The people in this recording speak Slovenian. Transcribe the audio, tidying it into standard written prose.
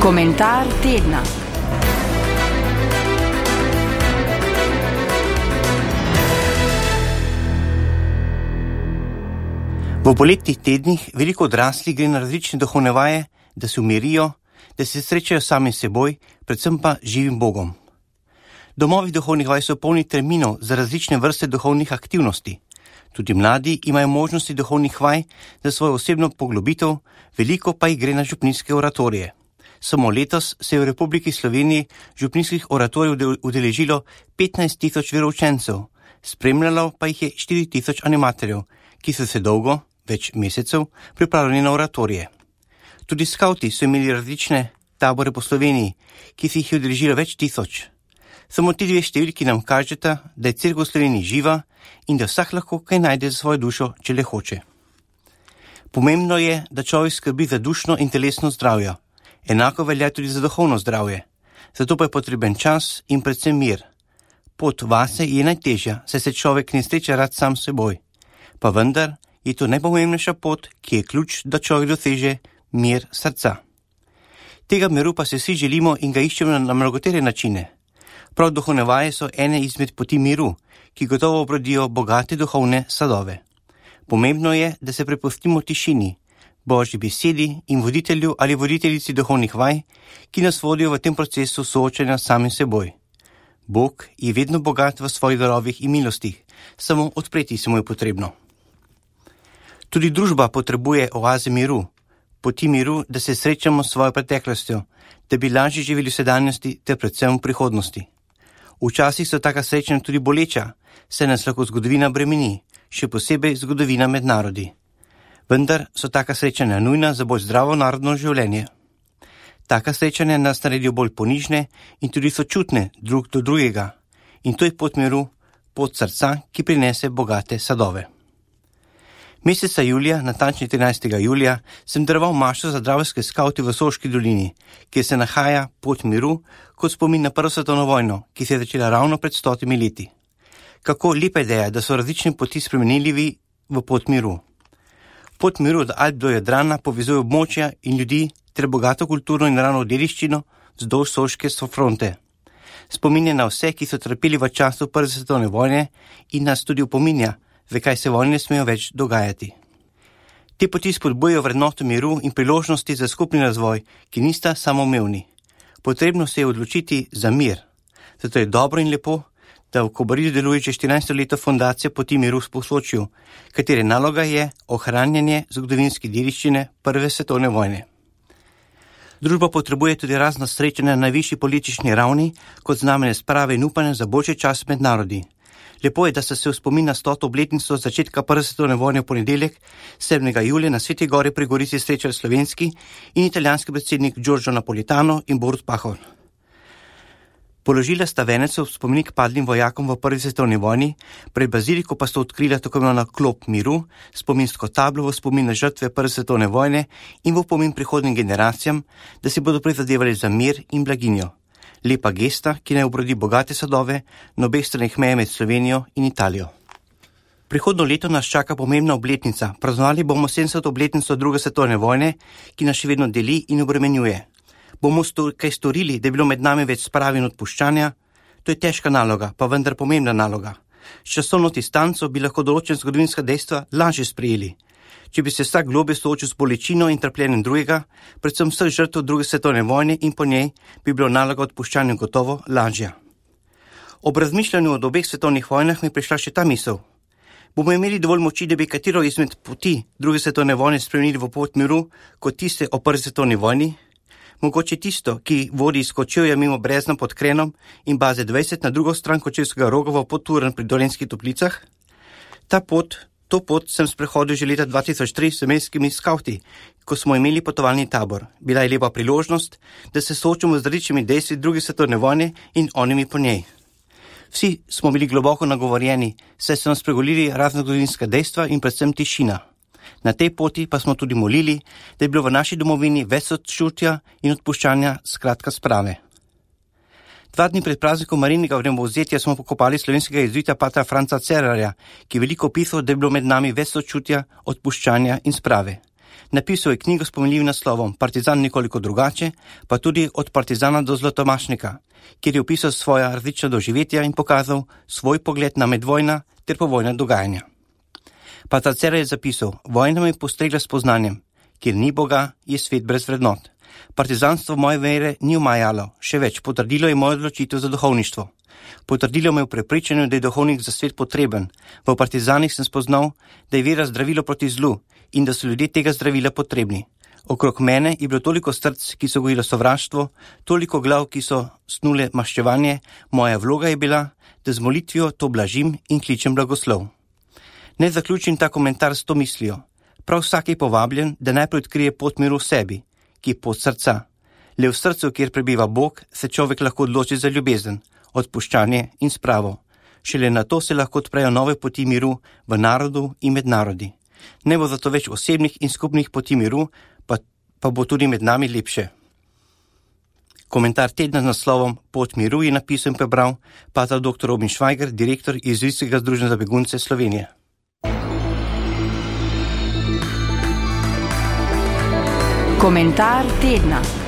Komentar tedna. V poletnih tednih veliko odraslih gre na različne duhovne vaje, da se umirijo, da se srečajo sami s seboj, predvsem pa živim Bogom. Domovi duhovnih vaj so polni terminov za različne vrste duhovnih aktivnosti. Tudi mladi imajo možnosti duhovnih vaj za svojo osebno poglobitev, veliko pa jih gre na župnijske oratorije. Samo letos se je v Republiki Sloveniji župnijskih oratorijev udeležilo 15.000 veroučencev, spremljalo pa jih je 4.000 animatorjev, ki so se dolgo, več mesecev, pripravljeni na oratorije. Tudi skavti so imeli različne tabore po Sloveniji, ki se jih je udeležilo več tisoč. Samo ti dve številki nam kažeta, da je cerkev v Sloveniji živa in da vsak lahko kaj najde za svojo dušo, če le hoče. Pomembno je, da človek skrbi za dušno in telesno zdravje. Enako velja tudi za duhovno zdravje. Zato pa je potreben čas in predvsem mir. Pot vase je najtežja, saj se človek ne sreča rad sam s seboj. Pa vendar je to najpomembnejša pot, ki je ključ, da človek doseže mir srca. Tega miru pa se vsi želimo in ga iščemo na mnogotere načine. Prav duhovne vaje so ene izmed poti miru, ki gotovo obrodijo bogate duhovne sadove. Pomembno je, da se prepustimo tišini, Božji besedi in voditelju ali voditeljici duhovnih vaj, ki nas vodijo v tem procesu soočanja sami seboj. Bog je vedno bogat v svojih darovih in milostih, samo odpreti se mu je potrebno. Tudi družba potrebuje oaze miru, poti miru, da se srečamo s svojo preteklostjo, da bi lažje živeli v sedanjosti ter predvsem v prihodnosti. Včasih so taka srečanja tudi boleča, saj nas lahko zgodovina bremeni, še posebej zgodovina med narodi. Vendar so taka srečanja nujna za bolj zdravo narodno življenje. Taka srečanja nas naredijo bolj ponižne in tudi sočutne drug do drugega. In to je pot miru, pot srca, ki prinese bogate sadove. Meseca julija, natančni 13. julija, sem daroval mašo za dravske skavte v Soški dolini, kjer se nahaja pot miru kot spomin na Prvo svetovno vojno, ki se je začela ravno pred 100 leti. Kako lepa ideja, da so različne poti spremenili v pot miru. Pot miru od Alp do Jadrana povezuje območja in ljudi ter bogato kulturno in naravno dediščino vzdolž Soške fronte. Spominja na vse, ki so trpeli v času Prve svetovne vojne in nas tudi opominja, zakaj se vojne ne smejo več dogajati. Te poti spodbujajo vrednoto miru in priložnosti za skupni razvoj, ki nista samoumevni. Potrebno se je odločiti za mir. Zato je dobro in lepo, da v Kobaridu deluje že 14. leto fundacija Poti miru v Posočju, katere naloga je ohranjanje zgodovinske dediščine Prve svetovne vojne. Družba potrebuje tudi razna srečanja na najvišji politični ravni, kot znamenje sprave in upanja za boljši čas med narodi. Lepo je, da se v spomin na 100. obletnico začetka Prve svetovne vojne v ponedeljek 7. julija na Sveti Gori pri Gorici srečali slovenski in italijanski predsednik Giorgio Napolitano in Borut Pahor. Položila sta venec v spomenik padlim vojakom v Prvi svetovni vojni, pred baziliko pa sta odkrila tako imenovana klop miru, spominsko tablo v spomin na žrtve Prve svetovne vojne in v opomin prihodnjim generacijam, da si bodo prizadevali za mir in blaginjo. Lepa gesta, ki naj obrodi bogate sadove na obeh straneh meje med Slovenijo in Italijo. Prihodno leto nas čaka pomembna obletnica. Praznovali bomo 70. obletnico Druge svetovne vojne, ki nas še vedno deli in obremenjuje. Bomo kaj storili, da je bilo med nami več sprave in odpuščanja? To je težka naloga, pa vendar pomembna naloga. S časovno distanco bi lahko določena zgodovinska dejstva lažje sprejeli. Če bi se vsak globlje soočil s bolečino in trpljenjem drugega, predvsem vseh žrtev Druge svetovne vojne in po njej, bi bilo naloga odpuščanja gotovo lažja. Ob razmišljanju o obeh svetovnih vojnah mi je prišla še ta misel. Bomo imeli dovolj moči, da bi katero izmed poti Druge svetovne vojne spremenili v pot miru, kot tiste o Prvi svetovni vojni? Mogoče tisto, ki vodi iz Kočevja mimo Brezna pod Krenom in baze 20 na drugo stran Kočevskega Roga v Podturen pri Dolenjskih Toplicah? To pot sem sprehodil že leta 2003 s slovenskimi skavti, ko smo imeli potovalni tabor. Bila je lepa priložnost, da se soočimo z različnimi dejstvi Druge svetovne vojne in onimi po njej. Vsi smo bili globoko nagovorjeni, saj so nas spregovorili razna zgodovinska dejstva in predvsem tišina. Na tej poti pa smo tudi molili, da je bilo v naši domovini več sočutja in odpuščanja, skratka sprave. 2 dni pred praznikom Marijinega vnebovzetja smo pokopali slovenskega jezuita patra Franca Cerarja, ki je veliko pisal, da je bilo med nami več sočutja, odpuščanja in sprave. Napisal je knjigo s pomenljivim naslovom Partizan nekoliko drugače, pa tudi Od partizana do zlatomašnika, kjer je opisal svoja različna doživetja in pokazal svoj pogled na medvojna ter povojna dogajanja. Pater Cerar je zapisal: Vojna me je postregla s poznanjem, kjer ni Boga, je svet brez vrednot. Partizanstvo moje vere ni omajalo, še več, potrdilo je mojo odločitev za duhovništvo. Potrdilo me v prepričanju, da je duhovnik za svet potreben. V partizanih sem spoznal, da je vera zdravilo proti zlu in da so ljudje tega zdravila potrebni. Okrog mene je bilo toliko src, ki so gojilo sovraštvo, toliko glav, ki so snule maščevanje. Moja vloga je bila, da z molitvijo to blažim in kličem blagoslov. Ne zaključim ta komentar s to mislijo. Prav vsak je povabljen, da najprej odkrije pot miru v sebi, ki je pot srca. Le v srcu, kjer prebiva Bog, se človek lahko odloči za ljubezen, odpuščanje in spravo. Šele na to se lahko odprejo nove poti miru v narodu in med narodi. Ne bo zato več osebnih in skupnih poti miru, pa bo tudi med nami lepše. Komentar tedna z naslovom Pot miru je napisal in prebral pater dr. Robin Švajger, direktor Jezuitskega združenja za begunce Slovenije. Komentar tedna.